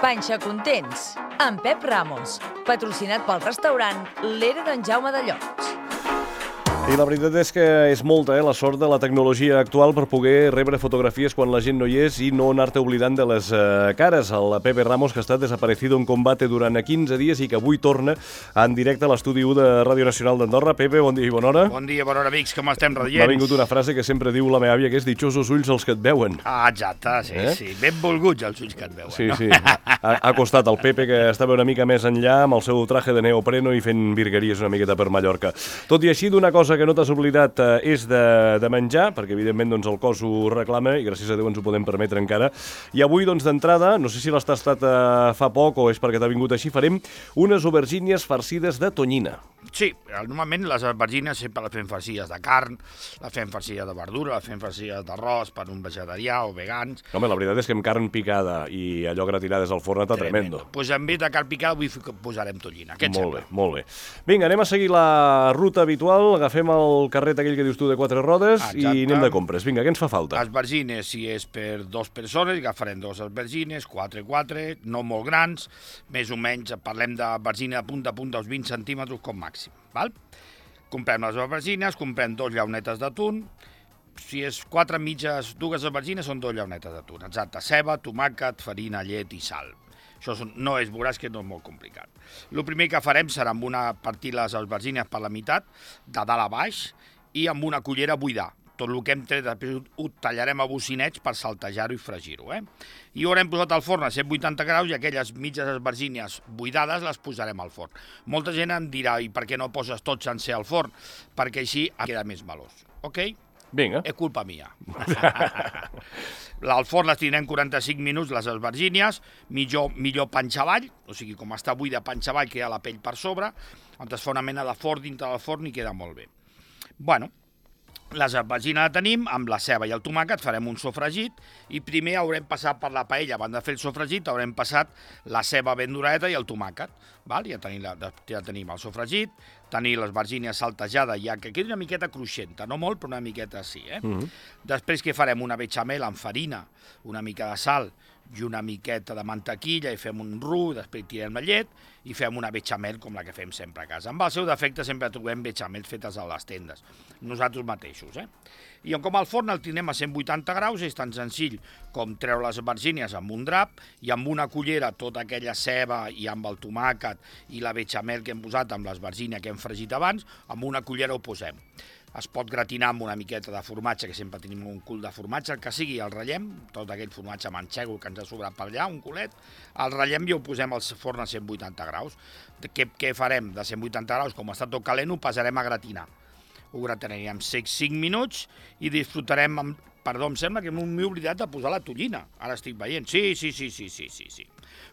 Panxa Contents, amb Pep Ramos, patrocinat pel restaurant L'Era d'en Jaume de Llocs. I la veritat és que és molta, la sort de la tecnologia actual per poder rebre fotografies quan la gent no hi és i no anar-te oblidant de les cares. El Pepe Ramos, que ha estat desaparecido en combate durant 15 dies i que avui torna en directe a l'estudi 1 de Ràdio Nacional d'Andorra. Pepe, bon dia i bona hora. Bon dia, bona hora, amics. Com estem, radiants? M'ha vingut una frase que sempre diu la meva àvia, que és dichosos ulls els que et veuen. Ah, exacte, sí. Benvolguts els ulls que et veuen. Sí, no? Sí. Ha costat el Pepe, que estava una mica més enllà amb el seu traje de neopreno i fent virgueries una miqueta per Mallorca. Tot i així, d'una cosa que no t'has oblidat és de menjar, perquè evidentment doncs, el cos ho reclama i gràcies a Déu ens ho podem permetre encara. I avui, doncs, d'entrada, no sé si l'has tastat fa poc o és perquè t'ha vingut així, farem unes aubergínies farcides de tonyina. Sí, normalment les aubergines sempre les fem farcides de carn, les fem farcides de verdura, les fem farcides d'arròs per un vegetarià o vegans. Home, la veritat és que amb carn picada i allò gratinades al forn està tremendo. Doncs en vez de carn picada avui posarem tonyina. Què et sembla? Molt bé. Vinga, anem a seguir la ruta habitual, agafem el carret aquell que dius tu de 4 rodes. Exacte. I anem de compres. Vinga, què ens fa falta? Aubergines, si és per 2 persones, agafarem 2 aubergines, 4, no molt grans, més o menys, parlem d'aubergina de punta a punta, uns 20 centímetres com màxim. Val? Comprem les aubergines, comprem 2 llaunetes d'atún, si és 4 mitges, 2 aubergines són 2 llaunetes d'atún, exacte, ceba, tomàquet, farina, llet i sal. Això no és, veuràs que no és molt complicat. El primer que farem serà partir les aubergines per la meitat, de dalt a baix, i amb una cullera buidar. Tot el que hem tret, després ho tallarem a bocinets per saltejar-ho i fregir-ho. I ho haurem posat al forn a 180 graus i aquelles mitges aubergines buidades les posarem al forn. Molta gent em dirà, i per què no poses tot sencer al forn? Perquè així queda més melós. Ok? Vinga. És culpa mia. Al forn les tindrem 45 minuts, les aubergines, millor panxa avall, o sigui, com està buida panxa avall, queda la pell per sobre, on es fa una mena de forn dintre del forn i queda molt bé. Bueno, les aubergines la tenim, amb la ceba i el tomàquet farem un sofregit i primer haurem passat per la paella, abans de fer el sofregit haurem passat la ceba ben doradeta i el tomàquet. Ja tenim el sofregit, tenim les aubergines saltejades, ja que quedi una miqueta cruixenta, no molt, però una miqueta sí. Després que farem una bechamel amb farina, una mica de sal i una miqueta de mantequilla i fem un roux, després tirem la llet i fem una bechamel com la que fem sempre a casa. Amb el seu defecte sempre trobem bechamels fetes a les tendes, nosaltres mateixos. I com al forn el tindrem a 180 graus, és tan senzill com treure les aubergines amb un drap i amb una cullera tota aquella ceba i amb el tomàquet i la bechamel que hem posat amb les aubergines que hem fregit abans, amb una cullera ho posem. Es pot gratinar amb una miqueta de formatge, que sempre tenim un cul de formatge, el que sigui, el ratllem, tot aquell formatge manxego que ens ha sobrat per allà, un culet, el ratllem i ho posem al forn a 180 graus. Què farem? De 180 graus, com està tot calent, ho passarem a gratinar. Ho gratinaríem 5 minuts i disfrutarem Perdó, em sembla que m'he oblidat de posar la tonyina. Ara estic veient. Sí.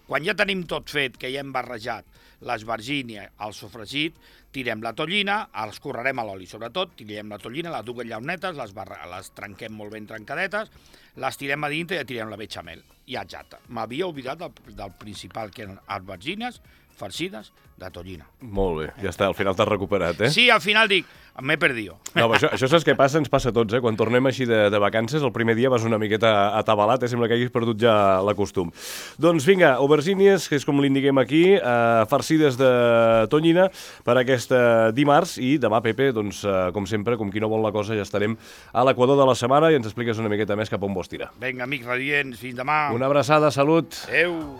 Quan ja tenim tot fet, que ja hem barrejat les aubergines, el sofregit, tirem la tonyina, els correrem a l'oli sobretot, tirem la tonyina, les 2 llaunetes, les trenquem molt ben trencadetes, les tirem a dintre i ja tirem la bechamel. I exacte. M'havia oblidat del principal, que eren aubergines farcides de tonyina. Molt bé, ja està, al final t'has recuperat, Sí, al final dic, m'he perdido. No, això saps què passa? Ens passa a tots, Quan tornem així de vacances, el primer dia vas una miqueta atabalat, sembla que hagis perdut ja la costum. Doncs vinga, aubergines, que és com l'indiquem aquí, farcides de tonyina per aquest dimarts, i demà, Pepe, doncs, com sempre, com qui no vol la cosa, ja estarem a l'equador de la setmana i ens expliques una miqueta més cap on vols tirar. Vinga, amics radiants, fins demà. Una abraçada, salut. Adéu.